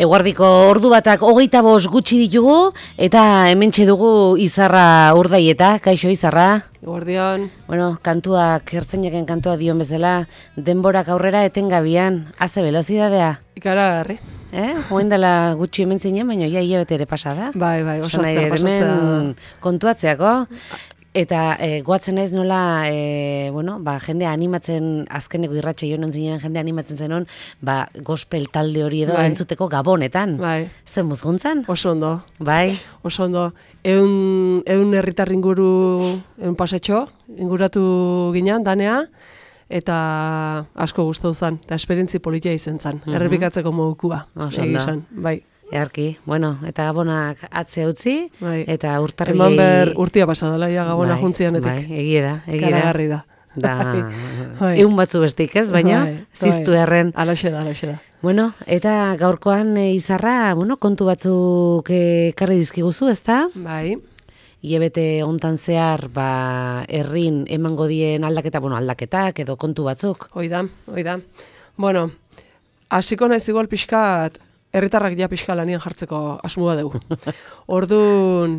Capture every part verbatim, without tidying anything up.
Eguardiko ordu batak hogeita bost gutxi ditugu, eta hementxe dugu Izarra Urdaieta. Kaixo Izarra? Eguardion. Bueno, kantuak, ertzainaken kantua dion bezala, denborak aurrera etengabian, haze velozidadea. Ikaragarri. Eh? Hoen dela gutxi hemen zinen, baina ja hilabete ere pasada. Bai, bai, oso azter pasatzea. Hemen kontuatzeako. Eta e, goatzen naiz nola, e, bueno, ba, jendea animatzen, azkeneko irratxe joan zinen jendea animatzen zenon, ba, gospel talde hori edo bai. Entzuteko Gabonetan. Bai. Zer muzguntzan? Oso ondo. Bai. Oso ondo. Eun, eun herritar inguru, eun pasetxo, inguratu ginen, danea, eta asko gustatu zen, eta esperientzi politia izen zen, mm-hmm. errepikatzeko modukua. Oso ondo. Bai. Earki, bueno, eta Gabonak atze utzi, bai. Eta urtarri... Eman behar urtia pasadala, ja, Gabona bai, juntzianetik. Bai, egie da, egie da. Karagarri da. Da, bai. Egun batzu bestik ez, baina bai, ziztu erren. Alaxe da, alaxe da. Bueno, eta gaurkoan e, Izarra, bueno, kontu batzuk ekarri dizkiguzu, ezta? Bai. Ilebete hontan zehar, ba, herrin emango dien aldaketa, bueno, aldaketak edo kontu batzuk. Hoi da, hoi da. Bueno, hasiko naiz igual pixkat, herritarrak ja pixka lanian jartzeko asmoa dugu. Orduan,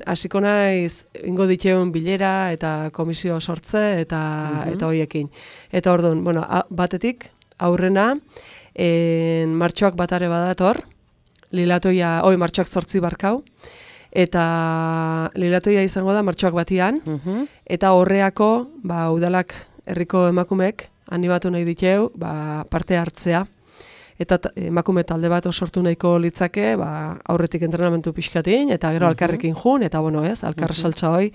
hasiko naiz ingo ditzeun bilera eta komisio sortze eta mm-hmm. eta hoiekin. Eta orduan, bueno, a, batetik aurrena, en, martxoak batare badator, lilatoia, oi, martxoak zortzi barkau, eta lilatoia izango da martxoak batian, mm-hmm. eta horreako, ba, udalak herriko emakumek, animatu nahi diteu, ba, parte hartzea, eta emakume talde bat sortu nahiko litzake, ba, aurretik entrenamentu pixkatin, eta gero uh-huh. alkarrekin jun, eta bueno, ez, alkarra uh-huh. saltza hoi,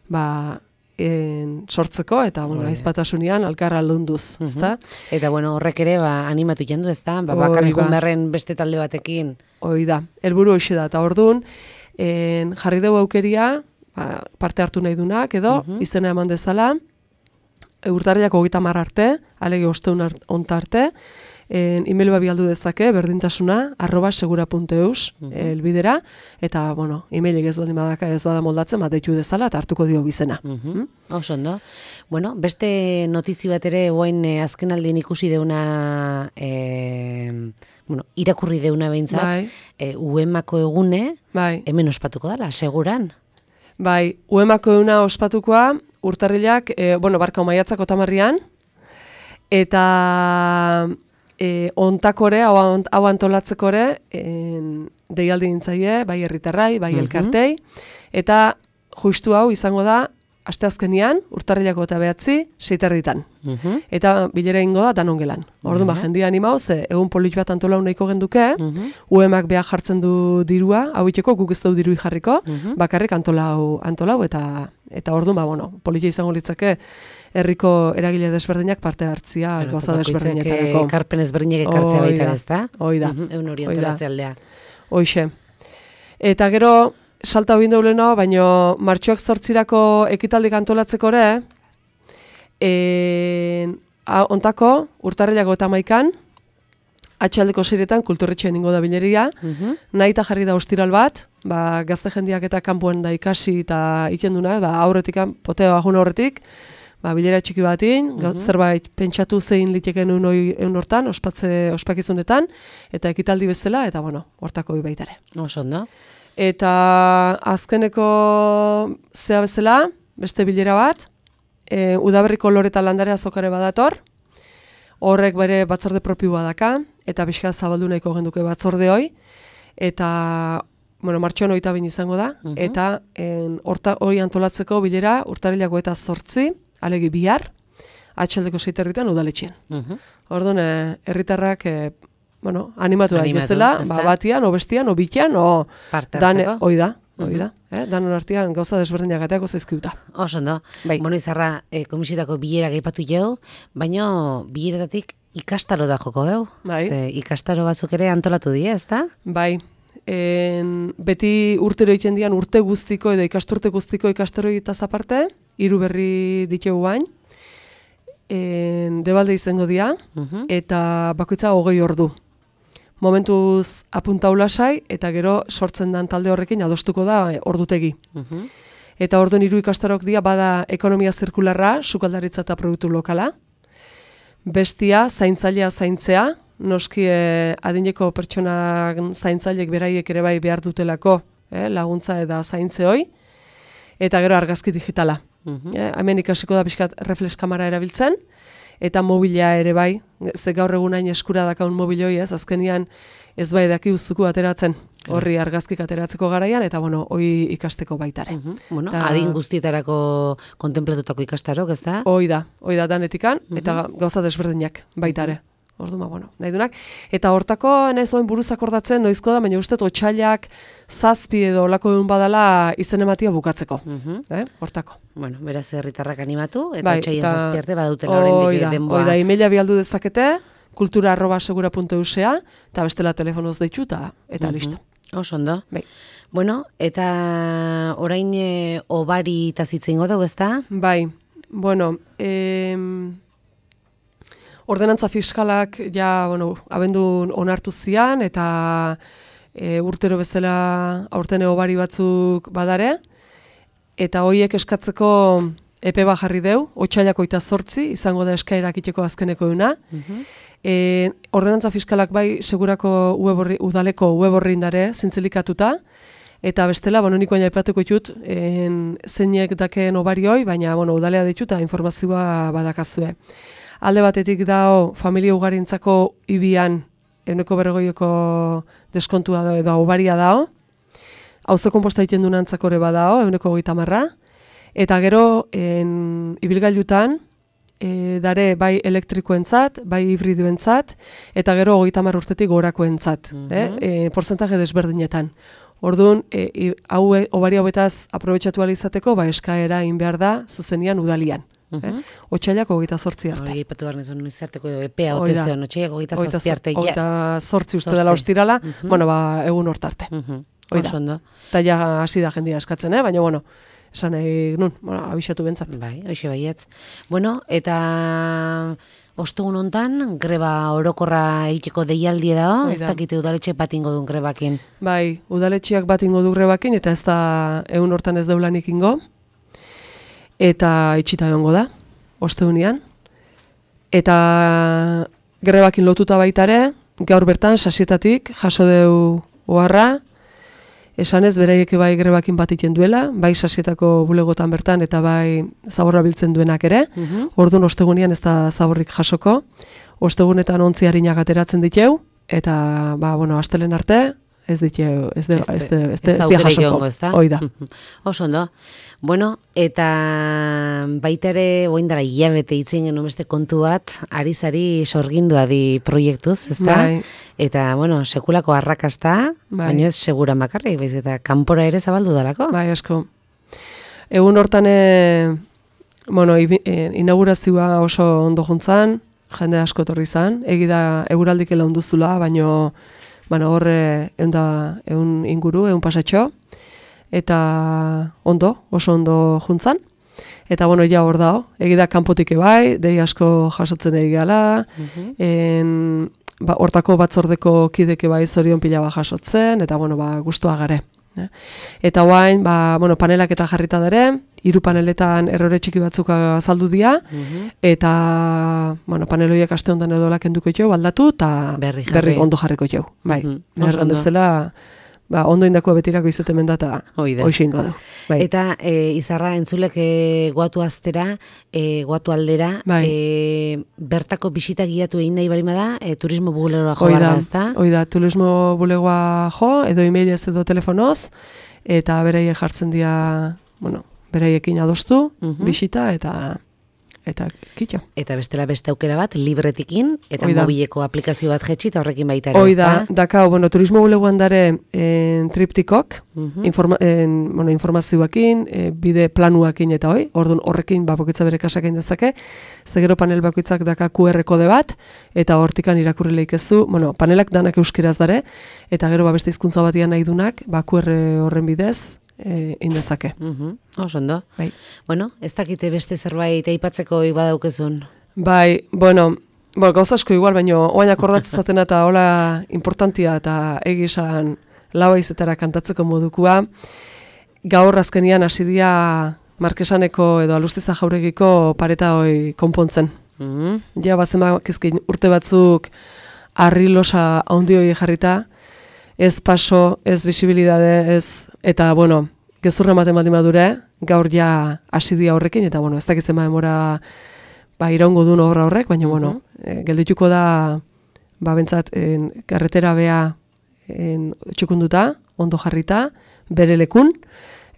ba, en, sortzeko, eta bueno, uh-huh. aizpatasunian alkarra lunduz, uh-huh. ezta? Eta bueno, horrek ere, ba, animatu jendu, ezta? Ba, bakarrik jun beharren beste talde batekin. Hoi da, helburu hoxe da, eta orduan, en, jarri dugu aukeria, ba, parte hartu nahi dunak, edo, uh-huh. izena eman dezala, urtarriak hogeita hamar arte, alege osteun onta arte, En, email babialdu dezake, berdintasuna, arroba segura puntu eus, uh-huh. elbidera, eta, bueno, emailik ez dut badaka ez bada moldatzen, bat deitu dezala, eta hartuko dio bizena. Uh-huh. Mm? Oso ondo. Bueno, beste notizi bat ere, guain eh, azken aldien ikusi deuna, eh, bueno, irakurri deuna behintzat, bai. eh, uemako egune, bai. Hemen ospatuko dala, seguran? Bai, uemako eguna ospatukoa, urtarrilak, eh, bueno, barka maiatzak otamarrian, eta... E, ontakore, hau, hau antolatzekore, deialdi nintzaie, bai herritarrai, bai uh-huh. elkartei, eta justu hau izango da, asteazkenian, urtarrilako eta behatzi, seiterditan. Uh-huh. Eta bilera ingo da, danongelan. Orduan, uh-huh. ba, jendia animau, ze egun polit bat antolau nahiko genduke, uh-huh. U E M ak behar jartzen du dirua, hau iteko, guk ez du dirui jarriko, uh-huh. bakarrik antolau, antolau, eta eta orduan, ba, bueno, politia izango litzake, herriko eragile desberdinak parte hartzia bueno, goza desberdinetarako. Ekarpen ezberdinak ekartzea baita ez da? Hoi da. Egun hori antolatzea aldea. Hoixe. Eta gero, salta hobin dauleno, baino martxoak zortzirako ekitaldik antolatzeko ere, en, a, ontako, urtarrilako eta maikan, atxaldeko seiretan kulturretxean ingo da bileria, uh-huh. nahi eta jarri da ostiral bat, ba, gazte jendiak eta kanpoan da ikasi eta ikenduna, ba, aurretik, potea bajun aurretik, ba, bilera txiki batin, uh-huh. zerbait pentsatu zein liteken egun hortan, ospatze, ospakizunetan, eta ekitaldi bezala, eta bueno, hortako hoi baitare. Oso ondo. Eta azkeneko zea bezala, beste bilera bat, e, Udaberriko Loreta Landare azokare badator, horrek bere batzorde propioa daka, eta bizka zabaldu nahiko genduke batzorde hoi, eta bueno, martxoan hogeita bin izango da, uh-huh. eta hori antolatzeko bilera urtarrilako eta zortzi, alegi bihar, atxaldeko seiterritan udaletxean. Uh-huh. Orduan, herritarrak, e, bueno, animatu da izela, ba, batian, o bestian, o bitian, o... Parte hartzeko. Hoi da, hoi da. Uh-huh. eh? Danon artean gauza desberdinak ateako zaizkiuta. Oso ondo. Bai. Bueno, Izarra, e, komisitako bilera gaipatu jau, baina bileratatik ikastaro da joko geu. Bai. Ze, ikastaro batzuk ere antolatu die, ez da? Bai. En, beti urtero egiten dian urte guztiko edo ikasturte guztiko ikastaro egitaz aparte, hiru berri ditegu bain, en, debalde izango dira, uh-huh. eta bakoitza hogei ordu. Momentuz apuntaulasai, eta gero sortzen dan talde horrekin adostuko da ordutegi. Uh-huh. Eta orduan hiru ikastarok dira bada ekonomia zirkularra, sukaldaritza eta produktu lokala, bestia zaintzailea zaintzea, noski eh, adineko pertsonak zaintzailek beraiek ere bai behar dutelako eh, laguntza eta zaintze hoi, eta gero argazki digitala. Uh-huh. eh, hemen ikasiko da pixkat reflex kamera erabiltzen, eta mobila ere bai, ze gaur egun hain eskura dakaun mobiloi ez, azkenian ez bai daki uztuko ateratzen, horri argazkik ateratzeko garaian, eta bueno, hoi ikasteko baitare. Uh-huh. Bueno, ta, adin guztietarako kontemplatutako ikastarok, ez da? Hoi da, hoi da danetikan, uh-huh. eta gauza desberdinak baitare. Uh-huh. Orduma, bueno, nahi dunak. Eta hortako, nahiz oen buruz akordatzen, noizko da, baina uste otxailak zazpi edo olako duen badala izen ematia bukatzeko. Uh-huh. eh? Hortako. Bueno, beraz herritarrak animatu, eta bai, otxailan zazpi arte badautela horrendik denboa. Oida, emaila bialdu dezakete, kultura arroba segura puntu eusea, eta bestela telefonoz deitu, eta, eta uh-huh. listo. Oso ondo. Bai. Bueno, eta orain e, obari eta zitzen godu, ez da? Bai, bueno, em... ordenantza fiskalak ja, bueno, abendun onartu zian, eta e, urtero bezala aurten obari batzuk badare, eta hoiek eskatzeko epe bat jarri deu, otsailako eta zortzi, izango da eskaerak iteko azkeneko duna. Uh-huh. e, ordenantza fiskalak bai segurako ueborri, udaleko web horri indare zintzilikatuta, eta bestela, bueno, niko aipatuko ditut, zeinek daken obarioi, baina, bueno, udalea dituta informazioa badakazue. Alde batetik dao, familia ugarintzako ibian, euneko berrogoieko deskontua dao, edo obaria dao, auzo konposta egiten duen antzakore badao, euneko hogeita marra, eta gero, en, ibilgailutan, e, dare bai elektrikoentzat, bai hibridioentzat, eta gero hogeita mar urtetik gorakoentzat, mm-hmm. eh? e, porcentaje desberdinetan. Orduan, e, hau obari hauetaz aprobetxatu alizateko, ba eskaera egin behar da, zuzenian udalian. Uh-huh. eh? Otsailak hogeita zortzi arte. Hori ipatu behar nizun izarteko epea otezion, otsailak hogeita zortzi arte. Hogeita zortzi uste dela ostirala, uh-huh. bueno, ba, egun hortarte. Uh-huh. Oida. Eta ja hasi da jendia eskatzen, eh? Baina, bueno, esan nahi, nun, bueno, abixatu bentzat. Bai, hoxe baietz. Bueno, eta ostegun hontan greba orokorra egiteko deialdi dago, ez dakite udaletxe bat ingo duen grebakin. Bai, udaletxeak bat ingo du grebakin, eta ez da egun hortan ez deulanik ingo. Eta itxita egongo da, ostegunean. Eta grebakin lotuta baitare, gaur bertan, sasietatik, jaso deu oharra, esanez, beraiek bai grebakin bat iten duela, bai sasietako bulegotan bertan, eta bai zaborra biltzen duenak ere. Uh-huh. Orduan, ostegunean ez da zaborrik jasoko. Ostegunetan ontzi harinak ateratzen diteu, eta, ba, bueno, astelen arte, ez diteu, ez de, ez de, ez de, ez de jasoko. Hoi da. Oso ondo. Bueno, eta baita ere, oindara hilabete itzen genuen beste kontu bat, ari-zari sorgindua di proiektuz, ez da? Bai. Eta, bueno, sekulako arrakasta, bai. Baina ez segura makarrik, baiz, eta kanpora ere zabaldu dalako. Bai, asko. Egun hortan, e, bueno, inaugurazioa oso ondo juntzan, jende asko torri zan, egida eguraldik ela onduzula, baino, bueno, horre egun da, egun inguru, egun pasatxo, eta ondo, oso ondo juntzan. Eta, bueno, ja hor dao, egida kanpotik ebai, dei asko jasotzen egala, uh-huh. en, ba, hortako batzordeko kideke bai zorion pila ba jasotzen, eta, bueno, ba, gustua gare. Eh? Eta guain, ba, bueno, panelak eta jarrita dare, hiru paneletan errore txiki batzuk azaldu dira, uh-huh. eta, bueno, paneloiak aste hontan edo lakenduko jo, baldatu, eta berri, berri ondo jarriko jo. Bai, uh-huh. Erran dezela, ba, ondo indako betirako izaten mendata, hoixingo du. Bai. Eta e, izarra entzulek e, goatu aztera, e, goatu aldera, bai. e, bertako bisita giatu egin nahi barima da, e, turismo bulegoa jo barra, ez da? Oida, turismo bulegoa jo, edo emailez edo telefonoz, eta beraiek jartzen dira, bueno, beraiekin adostu, uh-huh. bisita, eta... eta kitxo. Eta bestela beste aukera bat, libretikin, eta Oida. Mobileko aplikazio bat jetxi, eta horrekin baita ere. Oida, dakau, bueno, turismo bulegoan dare en, triptikok, uh-huh. informa, en, bueno, informazioakin, e, bide planuakin eta hoi, orduan horrekin bakoitza bere kasakein dezake, zegero panel bakoitzak daka Q R kode bat, eta hortikan irakurri leikezu, bueno, panelak danak euskeraz dare, eta gero ba beste hizkuntza batian nahi dunak, ba Q R horren bidez, E, indezake. Uh-huh. Oso ondo. Bai. Bueno, ez dakite beste zerbait aipatzeko badaukezun. Bai, bueno, bueno, gauza asko igual, baino oain akordatzen eta hola importantia eta egisan labaizetara kantatzeko modukua. Gaur azkenian hasi dira Markesaneko edo Alustiza Jauregiko pareta hoi konpontzen. Uh-huh. Ja, bazen bakizkin urte batzuk harri losa handioi jarrita, ez paso, ez bisibilidade, ez, eta, bueno, gezurra ematen baldin badure, gaur ja hasi dia horrekin, eta, bueno, ez dakitzen ba demora, ba, iraungo duen obra horrek, baina, uh-huh. bueno, e, geldituko da, ba, bentsat, en, carretera bea en, txukunduta, ondo jarrita, bere lekun,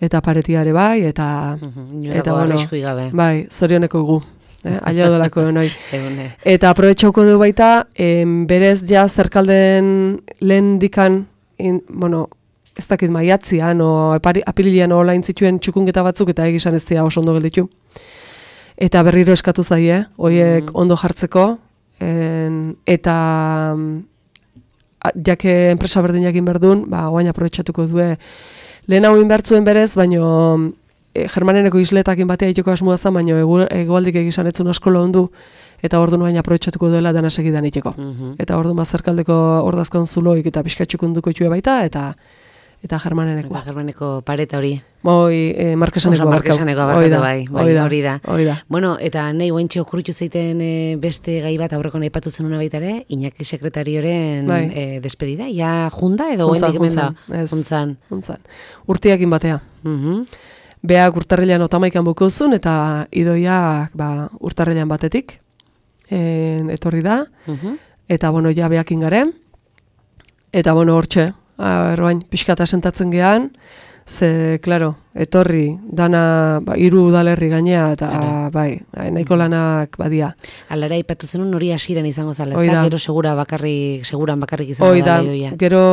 eta paretiare bai, eta, uh-huh. eta, bueno, gabe. bai, zorioneko gu. Eh, aia dolako noi. Eta aprobetxauko du baita, em, berez ja zerkalden lehen dikan, in, bueno, ez dakit maiatzian, o apililean olain zituen txukungeta batzuk, eta egizan ez dira oso ondo gelditu. Eta berriro eskatu zaie, hoiek mm. ondo jartzeko, en, eta jake enpresa berdinak inberdun, ba, oain aprobetxatuko due, lehen hau inbertzuen berez, baino E, Germaneneko isletakin batea itoko asmoa zen, baina egualdik egizan etzun asko ondu, eta ordu nuain aprobetxatuko duela dana segidan iteko. Mm-hmm. Eta ordu mazerkaldeko ordazkan zuloik eta pixkatxukunduko itxue baita, eta eta Germaneneko. Eta Germaneko pareta hori. Hoi, e, Markesaneko abarkatu. Markesaneko abarkatu bai, bai, hori da. da. Bueno, eta nahi ointxe okurritu zeiten e, beste gai bat aurreko nahi patu zenuna baita ere, Iñaki sekretarioren bai. e, despedida, ja junda edo oendik hemen da? Juntzan. Juntzan. Urtiakin batea. Mhm. Beak urtarrilean otamaikan bukozun, eta idoiak ba, urtarrilean batetik en, etorri da. Uh-huh. Eta, bueno, ja beakin garen. Eta, bueno, hortxe, erroain, pixkata sentatzen gehan, ze, klaro, etorri, dana, ba, iru udalerri gainea, eta, Ara. bai, nahiko lanak badia. Alara ipatu zenun hori hasiran izango zala, ez da, gero segura bakarrik, seguran bakarrik izango da, idoia. Gero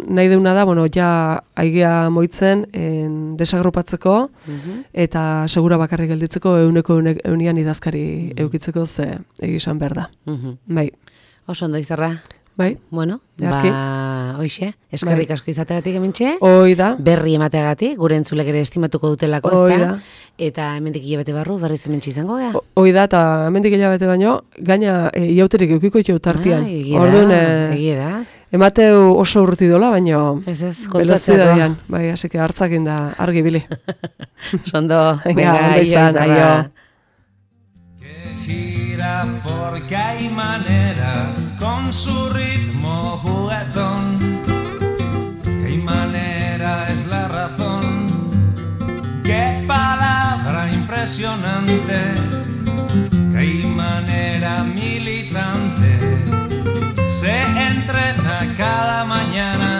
nahi deuna da, bueno, ja aigea moitzen, en, desagrupatzeko, uh-huh. eta segura bakarrik gelditzeko, euneko eunian idazkari uh-huh. eukitzeko, ze egizan behar da. Uh-huh. Bai. Oso ondo izarra. Bai. Bueno, Jarki. ba, hoixe, eskerrik bai. asko izateagatik emintxe. Hoi da. Berri emateagatik, gure entzulek ere estimatuko dutelako, ez da. Eta hemendik hilabete barru, berriz hementxe izango gea. Hoi da, eta hemendik hilabete baino, gaina e, iauterik eukiko itxeu tartian. Ah, egie Orduan, da, egie da. Emateu oso urruti dola, baino ez ez, kontatzeko. Bai, hasi que hartzakin da argi bili. Sondo, venga, ondo izan, aio. Porque hay manera con su ritmo juguetón, que hay manera es la razón, qué palabra impresionante, que hay manera militante, se entrena cada mañana